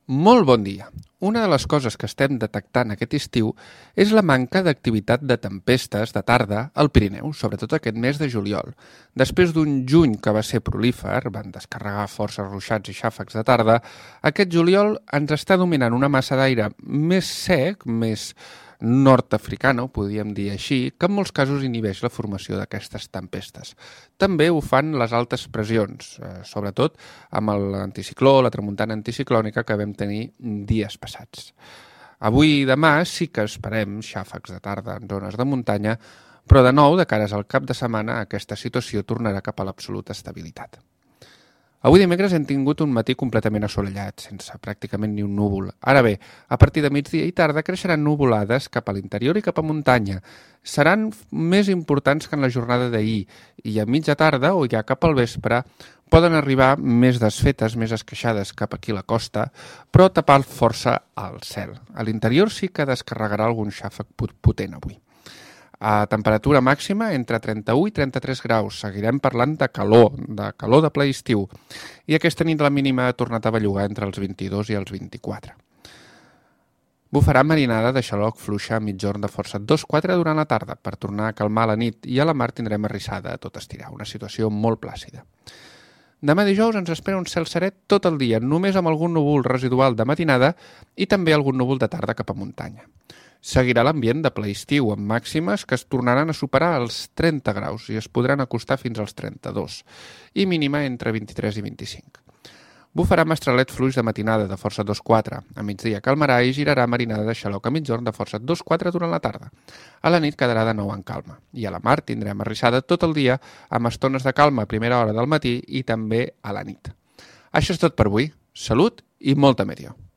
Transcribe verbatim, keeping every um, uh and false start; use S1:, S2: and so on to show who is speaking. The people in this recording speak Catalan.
S1: Molt bon dia. Una de les coses que estem detectant aquest estiu és la manca d'activitat de tempestes de tarda al Pirineu, sobretot aquest mes de juliol. Després d'un juny que va ser prolífer, van descarregar forces ruixats i xàfecs de tarda, aquest juliol ens està dominant una massa d'aire més sec, més nord-africana, ho podríem dir així, que en molts casos inhibeix la formació d'aquestes tempestes. També ho fan les altes pressions, eh, sobretot amb l'anticicló, la tramuntana anticiclònica que vam tenir dies passats. Avui i demà sí que esperem xàfecs de tarda en zones de muntanya, però de nou, de cares al cap de setmana, aquesta situació tornarà cap a l'absoluta estabilitat. Avui dimecres hem tingut un matí completament assolellat, sense pràcticament ni un núvol. Ara bé, a partir de migdia i tarda creixeran nuvolades cap a l'interior i cap a muntanya. Seran més importants que en la jornada d'ahir i a mitja tarda o ja cap al vespre poden arribar més desfetes, més esqueixades cap aquí a la costa, però tapar força al cel. A l'interior sí que descarregarà algun xàfec potent avui. A temperatura màxima entre trenta-u i trenta-tres graus. Seguirem parlant de calor, de calor de ple estiu. I aquesta nit la mínima ha tornat a bellugar entre els vint-i-dos i els vint-i-quatre. Bufarà marinada de xaloc fluixa a mitjorn de força dos quatre durant la tarda per tornar a calmar la nit i a la mar tindrem arrissada a tot estirar, una situació molt plàcida. Demà dijous ens espera un cel seret tot el dia, només amb algun núvol residual de matinada i també algun núvol de tarda cap a muntanya. Seguirà l'ambient de ple estiu, amb màximes que es tornaran a superar els trenta graus i es podran acostar fins als trenta-dos, i mínima entre vint-i-tres i vint-i-cinc. Bufarà mestralet fluix de matinada de força dos quatre, a migdia calmarà i girarà marinada de xaloc a mitjorn de força dos quatre durant la tarda. A la nit quedarà de nou en calma, i a la mar tindrem arrissada tot el dia amb estones de calma a primera hora del matí i també a la nit. Això és tot per avui. Salut i molta meteor.